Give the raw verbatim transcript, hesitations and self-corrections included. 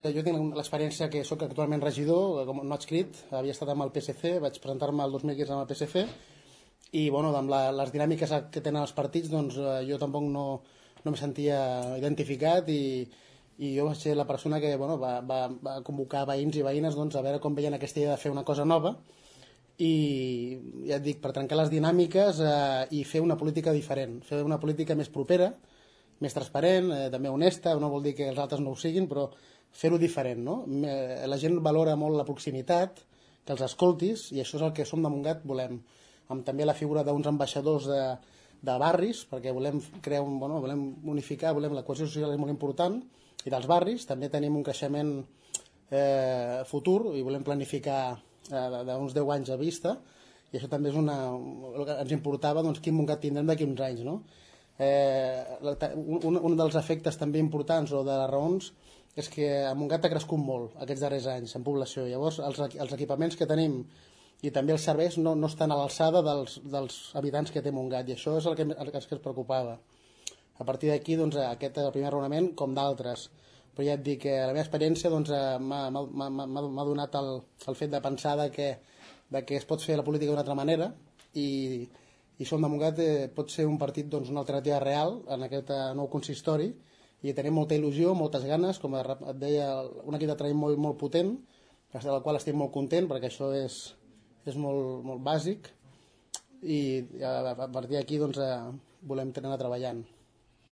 Jo tinc l'experiència que sóc actualment regidor, com no adscrit, havia estat amb el P S C, vaig presentar-me el dos mil quinze amb el P S C i bueno, amb la, les dinàmiques que tenen els partits doncs, jo tampoc no, no em sentia identificat i, i jo vaig ser la persona que bueno, va, va, va convocar veïns i veïnes doncs, a veure com veien aquesta idea de fer una cosa nova i ja et dic, per trencar les dinàmiques eh, i fer una política diferent, fer una política més propera, més transparent, eh, també honesta, no vol dir que els altres no ho siguin, però fer-ho diferent, no? La gent valora molt la proximitat, que els escoltis, i això és el que som de Montgat volem, amb també la figura d'uns ambaixadors de, de barris, perquè volem crear un, bueno, volem unificar, volem la cohesió social és molt important, i dels barris també tenim un creixement eh, futur i volem planificar eh, d'uns deu anys a vista, i això també és una, el que ens importava, doncs quin Montgat tindrem d'aquí uns anys, no? Eh, un, un dels efectes també importants o de les raons és que a Montgat ha crescut molt aquests darrers anys en població. Llavors els, els equipaments que tenim i també els serveis no, no estan a l'alçada dels, dels habitants que té Montgat i això és el que, el que ens preocupava. A partir d'aquí doncs, aquest és el primer raonament com d'altres, però ja et dic que la meva experiència doncs, m'ha donat el, el fet de pensar de que, de que es pot fer la política d'una altra manera i, i Som de Montgat eh, pot ser un partit doncs, una alternativa real en aquest eh, nou consistori i tenim molta il·lusió, moltes ganes, com et deia, un equip de treball molt, molt potent, del qual estic molt content perquè això és, és molt, molt bàsic i a partir d'aquí doncs, volem anar treballant.